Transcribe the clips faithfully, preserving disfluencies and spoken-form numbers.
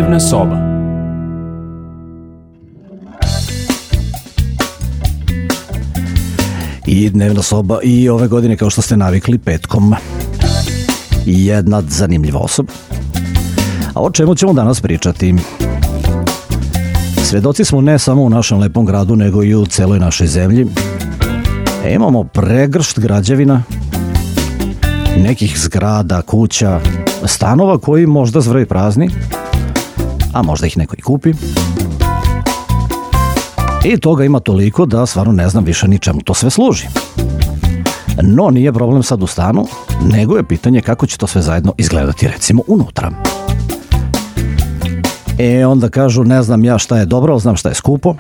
Dnevna soba. I dnevna soba i ove godine, kao što ste navikli, petkom jedna zanimljiva osoba. A o čemu ćemo danas pričati? Svedoci smo ne samo u našem lepom gradu, nego i u celoj našoj zemlji. E, imamo pregršt građevina, nekih zgrada, kuća, stanova koji možda zvraju prazni, a možda ih neko i kupi. I toga ima toliko da stvarno ne znam više ni čemu to sve služi. No, nije problem sad u stanu, nego je pitanje kako će to sve zajedno izgledati, recimo, unutra. E, onda kažu, ne znam ja šta je dobro, znam šta je skupo.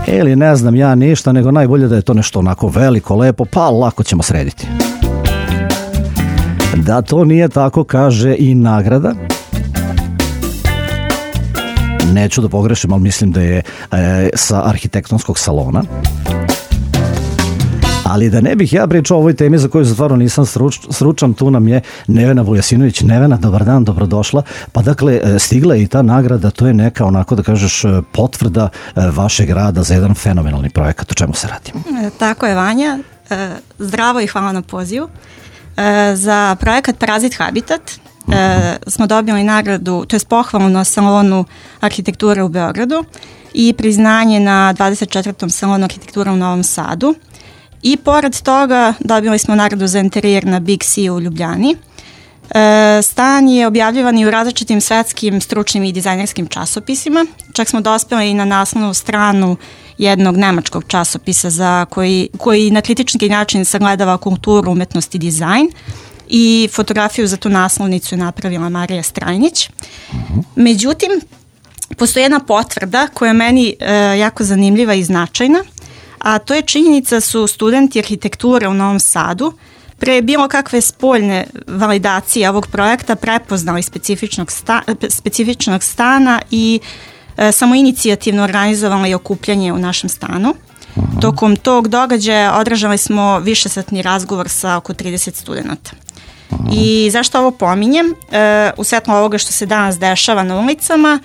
Ili ne znam ja ništa, nego najbolje da je to nešto onako veliko, lepo, pa lako ćemo srediti. Da to nije tako, kaže i nagrada. Neću da pogrešim, ali mislim da je e, sa arhitektonskog salona. Ali da ne bih ja pričao o ovoj temi za koju stvarno nisam struč, stručan, tu nam je Nevena Vujasinović. Nevena, dobar dan, dobrodošla. Pa dakle, stigla je i ta nagrada, to je neka, onako da kažeš, potvrda vašeg rada za jedan fenomenalni projekat. O čemu se radi? E, tako je, Vanja. E, zdravo i hvala na pozivu. E, za projekat Parazit Habitat e, smo dobili nagradu, to je pohvalu na salonu arhitekture u Beogradu i priznanje na dvadeset četvrtom salonu arhitekture u Novom Sadu. I pored toga dobili smo nagradu za interijer na Big C u Ljubljani. E, stan je objavljivan i u različitim svetskim stručnim i dizajnerskim časopisima. Čak smo dospeli i na naslovnu stranu jednog nemačkog časopisa za koji, koji na kritički način sagledava kulturu, umetnost i dizajn. I fotografiju za tu naslovnicu je napravila Marija Strajnić. Međutim, postoji jedna potvrda koja je meni e, jako zanimljiva i značajna, a to je činjenica su studenti arhitekture u Novom Sadu pre bilo kakve spoljne validacije ovog projekta prepoznali specifičnog, sta, specifičnog stana i e, samoinicijativno organizovali okupljanje u našem stanu. Aha. Tokom tog događaja održali smo višesatni razgovor sa oko trideset studenta. Aha. I zašto ovo pominjem? E, u svetlu ovoga što se danas dešava na ulicama,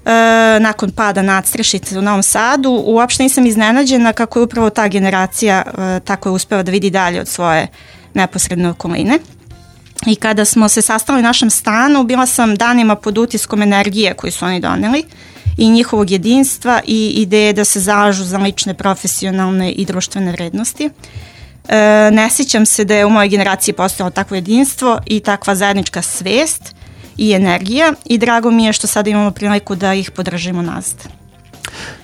E, nakon pada nadstrešnice u Novom Sadu, uopšte nisam iznenađena kako je upravo ta generacija e, tako je uspela da vidi dalje od svoje neposredne okoline. I kada smo se sastali u našem stanu, bila sam danima pod utiskom energije koju su oni doneli i njihovog jedinstva i ideje da se zalažu za lične, profesionalne i društvene vrednosti. E, ne sjećam se da je u mojoj generaciji postojalo takvo jedinstvo i takva zajednička svest i energija i drago mi je što sada imamo priliku da ih podržimo nazad.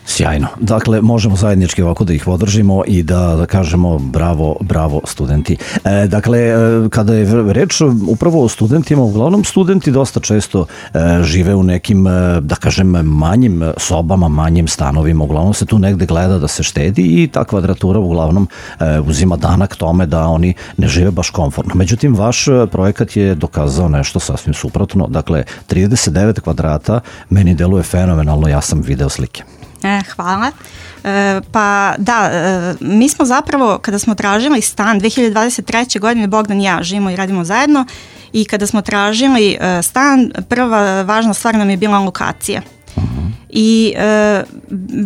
Sjajno. Dakle, možemo zajednički ovako da ih podržimo i da, da kažemo bravo, bravo studenti. E, dakle, kada je reč upravo o studentima, uglavnom studenti dosta često e, žive u nekim, da kažem, manjim sobama, manjim stanovima. Uglavnom se tu negde gleda da se štedi i ta kvadratura uglavnom e, uzima danak tome da oni ne žive baš komfortno. Međutim, vaš projekat je dokazao nešto sasvim suprotno. Dakle, trideset devet kvadrata meni deluje fenomenalno, ja sam video slike. E, hvala. E, pa da, e, mi smo zapravo, kada smo tražili stan dve hiljade dvadeset treće. godine, Bogdan i ja živimo i radimo zajedno, i kada smo tražili e, stan, prva važna stvar nam je bila lokacija. Uh-huh. I e,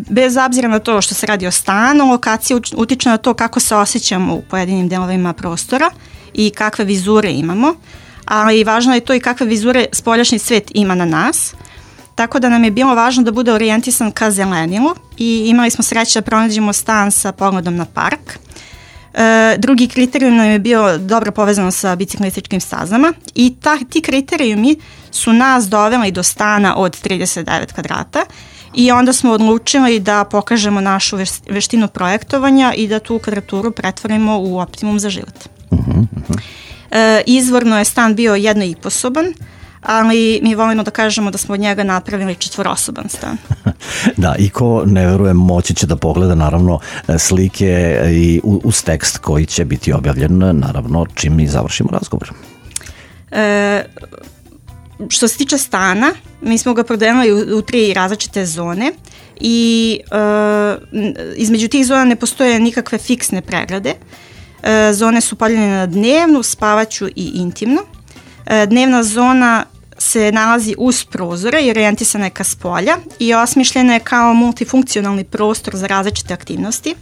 bez obzira na to što se radi o stanu, lokacija utiče na to kako se osjećamo u pojedinim delovima prostora i kakve vizure imamo, ali važno je to i kakve vizure spoljašnji svet ima na nas. Tako da nam je bilo važno da bude orijentisan ka zelenilu i imali smo sreće da pronađemo stan sa pogledom na park. E, drugi kriterijum nam je bio dobro povezano sa biciklističkim stazama i ta, ti kriterijumi su nas doveli do stana od trideset devet kvadrata i onda smo odlučili da pokažemo našu veštinu projektovanja i da tu kvadraturu pretvorimo u optimum za život. Uh-huh. E, izvorno je stan bio jedno i po soban, ali mi volimo da kažemo da smo od njega napravili četvorosoban stan. Da, i ko ne veruje moći će da pogleda naravno slike i uz tekst koji će biti objavljen naravno čim mi završimo razgovor. E, što se tiče stana, mi smo ga podelili u, u tri različite zone i e, između tih zona ne postoje nikakve fiksne pregrade. E, zone su podeljene na dnevnu, spavaću i intimnu. E, dnevna zona se nalazi uz prozore i orijentisana je ka spolja i osmišljena je kao multifunkcionalni prostor za različite aktivnosti.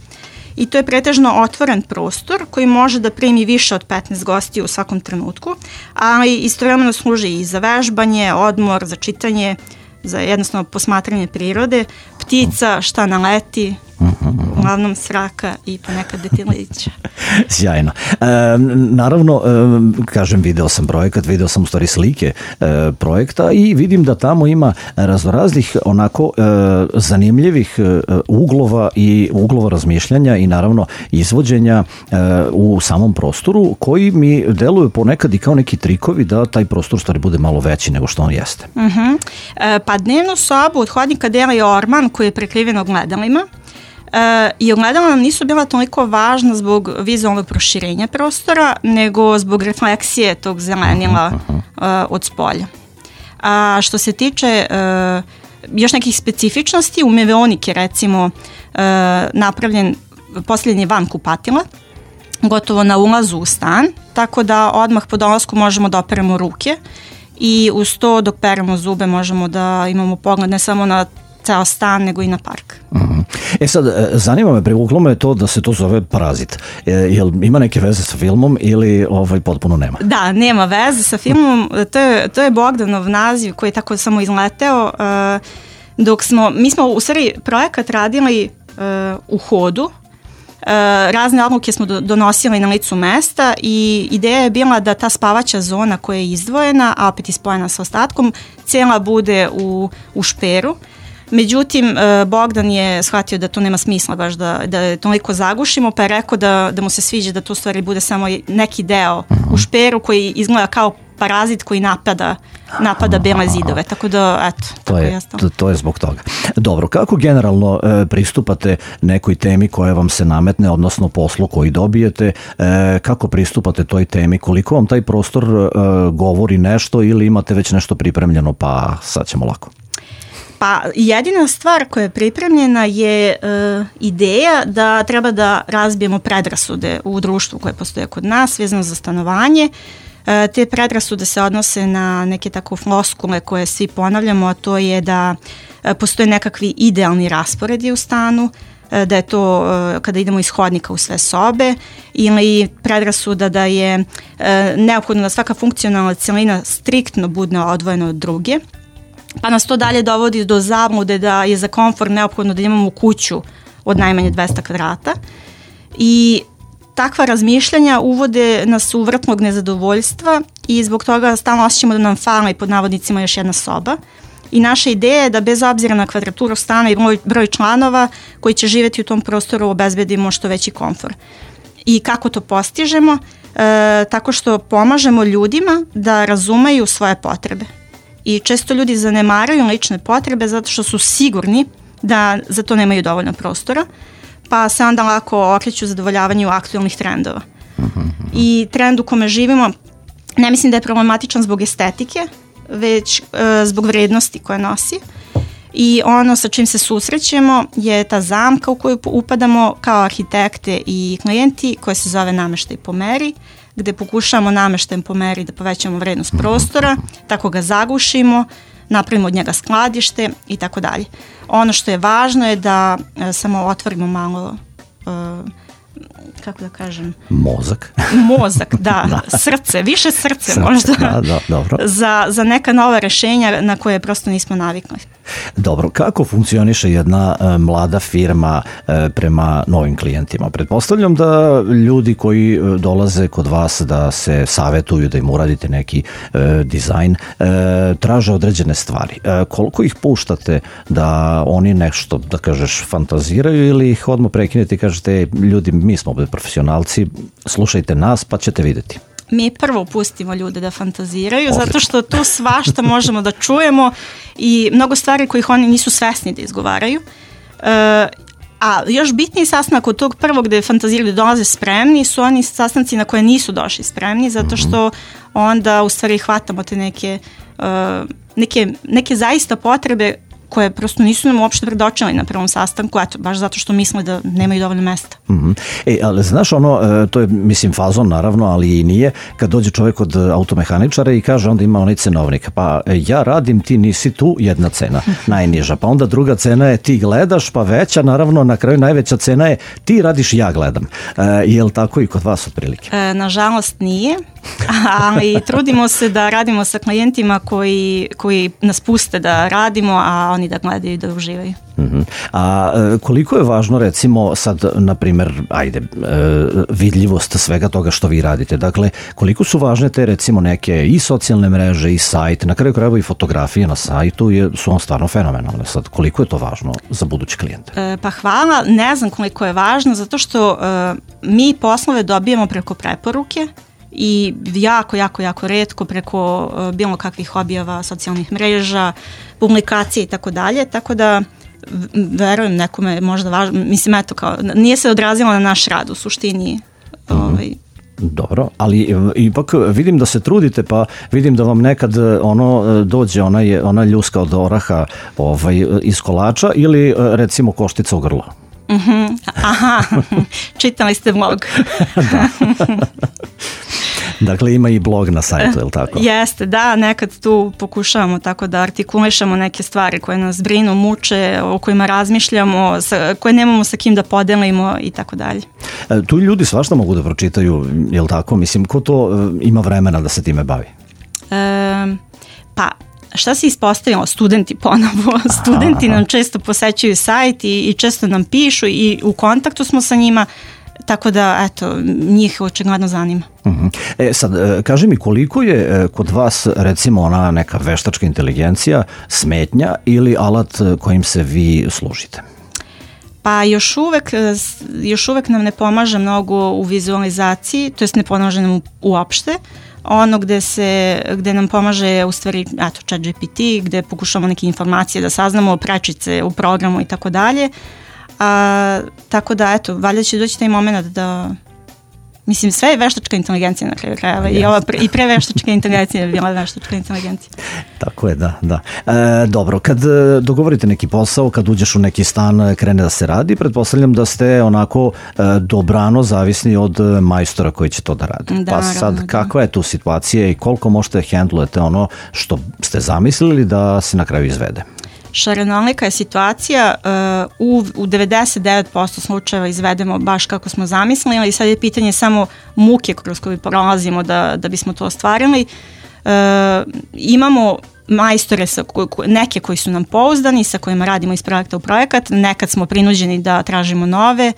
I to je pretežno otvoren prostor koji može da primi više od petnaest gostiju u svakom trenutku, ali istovremeno služi i za vežbanje, odmor, za čitanje, za jednostavno posmatranje prirode, ptica, šta naleti, uglavnom sraka i ponekad detilića. Sjajno. E, naravno, e, kažem, video sam projekat, video sam u stvari slike e, projekta i vidim da tamo ima raznoraznih onako e, zanimljivih e, uglova i uglova razmišljanja i naravno izvođenja e, u samom prostoru koji mi deluju ponekad i kao neki trikovi da taj prostor stvari bude malo veći nego što on jeste. Uh-huh. E, pa dnevnu sobu od hodnika dela je orman koji je prekriven ogledalima. E, i ogledala nam nisu bila toliko važna zbog vizualnog proširenja prostora, nego zbog refleksije tog zelenila uh, od spolja. A što se tiče uh, još nekih specifičnosti, u Meveonik je recimo uh, napravljen posljednji van kupatila, gotovo na ulazu u stan, tako da odmah po dolasku možemo da operemo ruke i uz to dok peremo zube možemo da imamo pogled ne samo na ceo stan, nego i na park. Mm-hmm. E sad, zanima me, privuklo me to da se to zove Parazit. E, jel ima neke veze sa filmom ili ovaj potpuno nema? Da, nema veze sa filmom. To je, to je Bogdanov naziv koji je tako samo izleteo. Uh, dok smo, mi smo u stvari projekat radili uh, u hodu. Uh, razne odluke smo do, donosili na licu mesta i ideja je bila da ta spavaća zona koja je izdvojena, a opet ispojena sa ostatkom, cijela bude u, u šperu. Međutim, Bogdan je shvatio da to nema smisla baš da, da je toliko zagušimo, pa je rekao da, da mu se sviđa da to u stvari bude samo neki deo u šperu koji izgleda kao parazit koji napada, napada bele zidove. Tako da, eto. To tako je, to, to je zbog toga. Dobro, kako generalno e, pristupate nekoj temi koja vam se nametne, odnosno poslu koji dobijete, e, kako pristupate toj temi, koliko vam taj prostor e, govori nešto ili imate već nešto pripremljeno, pa sad ćemo lako. Pa jedina stvar koja je pripremljena je uh, ideja da treba da razbijemo predrasude u društvu koje postoje kod nas vezano za stanovanje. Uh, te predrasude se odnose na neke tako floskule koje svi ponavljamo, a to je da uh, postoje nekakvi idealni rasporedi u stanu, uh, da je to uh, kada idemo iz hodnika u sve sobe, ili predrasuda da je uh, neophodno da svaka funkcionalna celina striktno bude odvojena od druge. Pa nas to dalje dovodi do zablude da je za komfort neophodno da imamo kuću od najmanje dvesta kvadrata i takva razmišljanja uvode nas u vrtlog nezadovoljstva i zbog toga stalno osjećamo da nam fali pod navodnicima još jedna soba i naša ideja je da bez obzira na kvadraturu stana i broj, broj članova koji će živjeti u tom prostoru obezbedimo što veći komfort. I kako to postižemo? E, tako što pomažemo ljudima da razumeju svoje potrebe. I često ljudi zanemaraju lične potrebe zato što su sigurni da za to nemaju dovoljno prostora, pa se onda lako okreću zadovoljavanju aktualnih trendova. I trend u kome živimo ne mislim da je problematičan zbog estetike, već e, zbog vrednosti koje nosi. I ono sa čim se susrećemo je ta zamka u koju upadamo kao arhitekte i klijenti koja se zove nameštaj po meri, gde pokušamo nameštajem po meri da povećamo vrednost prostora, tako ga zagušimo, napravimo od njega skladište i tako dalje. Ono što je važno je da e, samo otvorimo malo, e, kako da kažem? Mozak. Mozak, da, da. Srce, više srce, srce možda, da, da, dobro. Za, za neka nova rešenja na koje prosto nismo navikli. Dobro, kako funkcioniše jedna e, mlada firma e, prema novim klijentima? Pretpostavljam da ljudi koji e, dolaze kod vas da se savetuju, da im uradite neki e, dizajn, e, traže određene stvari. E, koliko ih puštate da oni nešto, da kažeš, fantaziraju ili ih odmah prekinete i kažete, ljudi, mi smo ovdje profesionalci, slušajte nas pa ćete vidjeti. Mi prvo pustimo ljude da fantaziraju, Odlično. Zato što tu svašta možemo da čujemo i mnogo stvari kojih oni nisu svesni da izgovaraju. E, a još bitniji sastanak od tog prvog gde fantaziraju da dolaze spremni su oni sastanci na koje nisu došli spremni, zato što onda u stvari hvatamo te neke, uh, neke, neke zaista potrebe koje prosto nisu nam uopšte predočili na prvom sastanku, eto, baš zato što misle da nemaju dovoljno mesta. Mm-hmm. E, ali znaš ono, to je mislim fazon naravno, ali i nije, kad dođe čovjek od automehaničara i kaže, onda ima onaj cenovnik, pa ja radim, ti nisi tu, jedna cena, najniža, pa onda druga cena je ti gledaš, pa veća, naravno na kraju najveća cena je ti radiš, ja gledam. E, je li tako i kod vas otprilike? E, nažalost nije, ali trudimo se da radimo sa klijentima koji, koji nas puste da radimo, a oni da gledaju i da uživaju. Uh-huh. A koliko je važno recimo sad, na primjer, ajde, vidljivost svega toga što vi radite? Dakle, koliko su važne te recimo neke i socijalne mreže i sajt, na kraju krajeva i fotografije na sajtu je, su on stvarno fenomenalne. Sad, koliko je to važno za buduće klijente? E, pa hvala, ne znam koliko je važno, zato što e, mi poslove dobijamo preko preporuke i jako, jako, jako retko preko e, bilo kakvih objava socijalnih mreža, publikacije i tako dalje, tako da verujem nekome je možda važno, mislim eto kao, nije se odrazilo na naš rad u suštini. Mm. Ovaj. Dobro, ali ipak vidim da se trudite, pa vidim da vam nekad ono dođe ona, je, ona ljuska od oraha ovaj, iz kolača ili recimo koštica u grlo. Mm-hmm. Aha, čitali ste blog. Da. Dakle, ima i blog na sajtu, je li tako? Jeste, da, nekad tu pokušavamo tako da artikulišemo neke stvari koje nas brinu, muče, o kojima razmišljamo, sa, koje nemamo sa kim da podelimo i tako dalje. E, tu ljudi svašta mogu da pročitaju, je li tako? Mislim, ko to e, ima vremena da se time bavi? E, pa, šta se ispostavilo? Studenti ponovo. Studenti Aha. nam često posećuju sajt i, i često nam pišu i u kontaktu smo sa njima. Tako da, eto, njih očigledno zanima. Uh-huh. E sad, kaži mi koliko je kod vas recimo ona neka veštačka inteligencija smetnja ili alat kojim se vi služite? Pa još uvek, još uvek nam ne pomaže mnogo u vizualizaciji, to jest ne pomaže nam uopšte. Ono gde, se, gde nam pomaže u stvari, eto, ChatGPT, gde pokušamo neke informacije da saznamo, prečice u programu i tako dalje. A, tako da, eto, valjda će doći taj moment da, mislim, sve je veštačka inteligencija na kraju krajeva yes. i, ova pre, i pre veštačka inteligencija je bila veštačka inteligencija. Tako je, da, da. E, dobro, kad dogovorite neki posao, kad uđeš u neki stan, krene da se radi, pretpostavljam da ste onako e, dobrano zavisni od majstora koji će to da radi. Da, pa sad, da. Kakva je tu situacija i koliko možete handlujete ono što ste zamislili da se na kraju izvede? Šarenolika je situacija, uh, u, u devedeset devet posto slučajeva izvedemo baš kako smo zamislili, ali sad je pitanje samo muke kroz koju prolazimo da, da bismo to ostvarili. Uh, imamo majstore, sa, neke koji su nam pouzdani, sa kojima radimo iz projekta u projekat, nekad smo prinuđeni da tražimo nove,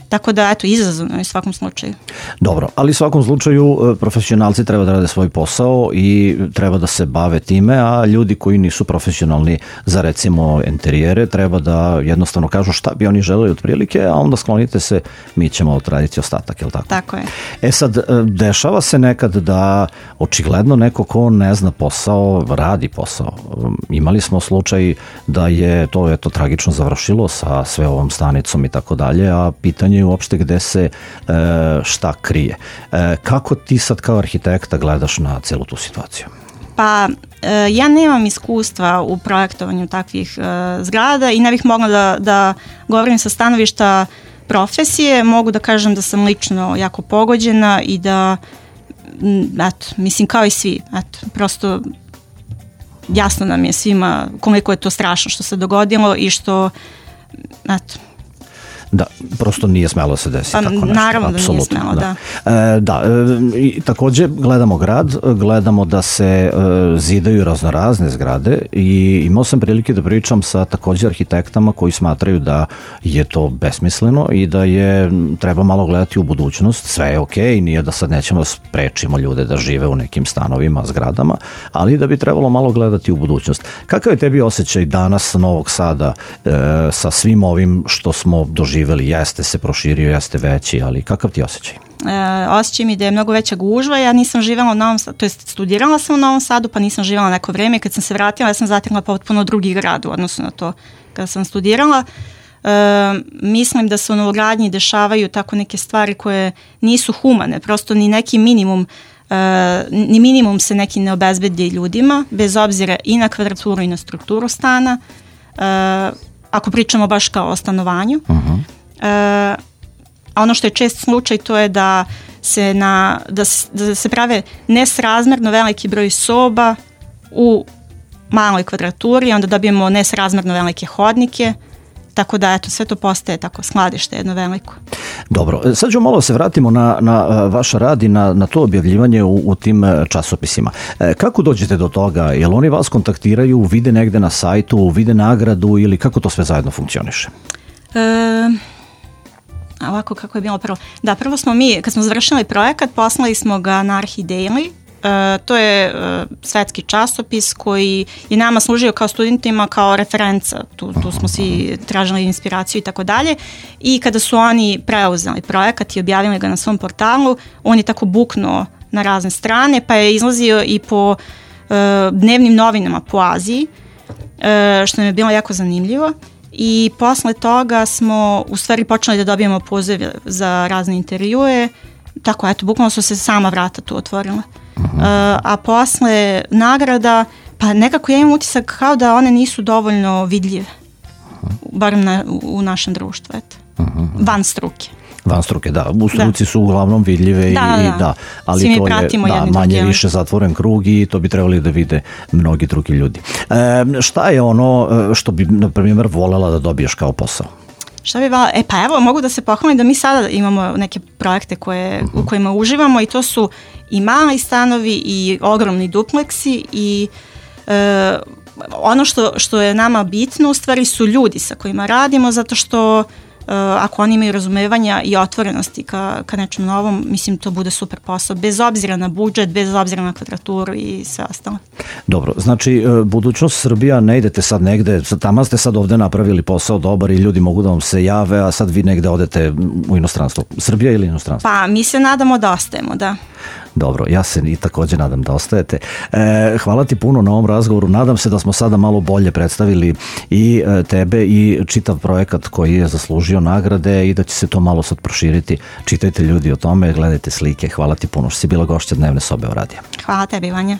tako da, eto, izazovno je u svakom slučaju. Dobro, ali u svakom slučaju profesionalci treba da rade svoj posao i treba da se bave time, a ljudi koji nisu profesionalni za recimo interijere treba da jednostavno kažu šta bi oni želeli otprilike, a onda sklonite se, mi ćemo odraditi ostatak, je li tako? Tako je. E sad, dešava se nekad da očigledno neko ko ne zna posao, radi posao. Imali smo slučaj da je to eto tragično završilo sa sve ovom stanicom i tako dalje, a pitanje uopšte gde se e, šta krije. E, kako ti sad kao arhitekta gledaš na celu tu situaciju? Pa e, ja nemam iskustva u projektovanju takvih e, zgrada i ne bih mogla da, da govorim sa stanovišta profesije. Mogu da kažem da sam lično jako pogođena i da, eto, mislim kao i svi, eto, prosto jasno nam je svima koliko je to strašno što se dogodilo i što, eto, Da, prosto nije smelo se desiti pa, tako nešto. Naravno da apsolutno, nije smelo, da. Da, e, da e, i takođe gledamo grad, gledamo da se e, zidaju raznorazne zgrade i imao sam prilike da pričam sa takođe arhitektama koji smatraju da je to besmisleno i da je treba malo gledati u budućnost. Sve je okej, nije da sad nećemo da sprečimo ljude da žive u nekim stanovima, zgradama, ali da bi trebalo malo gledati u budućnost. Kakav je tebi osjećaj danas Novog Sada e, sa svim ovim što smo doživjeli? Jeste se proširio, jeste veći, ali kakav ti osjećaj? E, osjećaj mi da je mnogo veća gužva. Ja nisam živjela u Novom Sadu, to jest studirala sam u Novom Sadu, pa nisam živjela neko vreme. Kad sam se vratila, ja sam zatekla potpuno drugi grad u odnosu na to kada sam studirala. E, mislim da se u novogradnji dešavaju tako neke stvari koje nisu humane, prosto ni neki minimum Uh, ni minimum se neki ne obezbedi ljudima, bez obzira i na kvadraturu i na strukturu stana. ako pričamo baš kao o stanovanju. Uh-huh. A ono što je čest slučaj to je da se, na, da, da se prave nesrazmerno veliki broj soba u maloj kvadraturi, onda dobijemo nesrazmerno velike hodnike, tako da eto, sve to postaje tako skladište jedno veliko. Dobro, sad ću malo se vratimo na, na vaš rad i na, na to objavljivanje u, u tim časopisima. E, kako dođete do toga? Jel oni vas kontaktiraju, vide negde na sajtu, vide nagradu ili kako to sve zajedno funkcioniše? E, ovako kako je bilo prvo. Da, prvo smo mi, kad smo završili projekat, poslali smo ga na ArhiDaily. Uh, to je uh, svetski časopis koji je nama služio kao studentima kao referenca, tu, tu smo svi tražili inspiraciju i tako dalje, i kada su oni preuzeli projekat i objavili ga na svom portalu, on je tako buknuo na razne strane, pa je izlazio i po uh, dnevnim novinama po Aziji, uh, što nam je bilo jako zanimljivo, i posle toga smo u stvari počeli da dobijemo pozive za razne intervjue, tako eto, bukvalno su se sama vrata tu otvorila. Uh-huh. Uh, a posle nagrada, pa nekako ja imam utisak kao da one nisu dovoljno vidljive, uh-huh. barem na, u, u našem društvu, eto. Uh-huh. Van struke. Van struke, da. U struci da. Su uglavnom vidljive i da, da, da. ali Svi to je da, manje drugi, više zatvoren krug i to bi trebali da vide mnogi drugi ljudi. E, šta je ono što bi, na primjer, volela da dobiješ kao posao? Šta bi vala? E pa evo, mogu da se pohvalim da mi sada imamo neke projekte koje, uh-huh. u kojima uživamo i to su i mali stanovi i ogromni dupleksi i e, ono što, što je nama bitno u stvari su ljudi sa kojima radimo, zato što Uh, ako oni imaju razumevanja i otvorenosti ka, ka nečem novom, mislim to bude super posao, bez obzira na budžet, bez obzira na kvadraturu i sve ostalo. Dobro, znači budućnost Srbija, ne idete sad negde, tamo ste sad ovde napravili posao dobar i ljudi mogu da vam se jave, a sad vi negde odete u inostranstvo. Srbija ili inostranstvo? Pa mi se nadamo da ostajemo, da. Dobro, ja se i također nadam da ostajete. E, hvala ti puno na ovom razgovoru. Nadam se da smo sada malo bolje predstavili i e, tebe i čitav projekat koji je zaslužio nagrade i da će se to malo sad proširiti. Čitajte ljudi o tome, gledajte slike. Hvala ti puno što si bila gošća Dnevne sobe o radija. Hvala tebi, Vanja.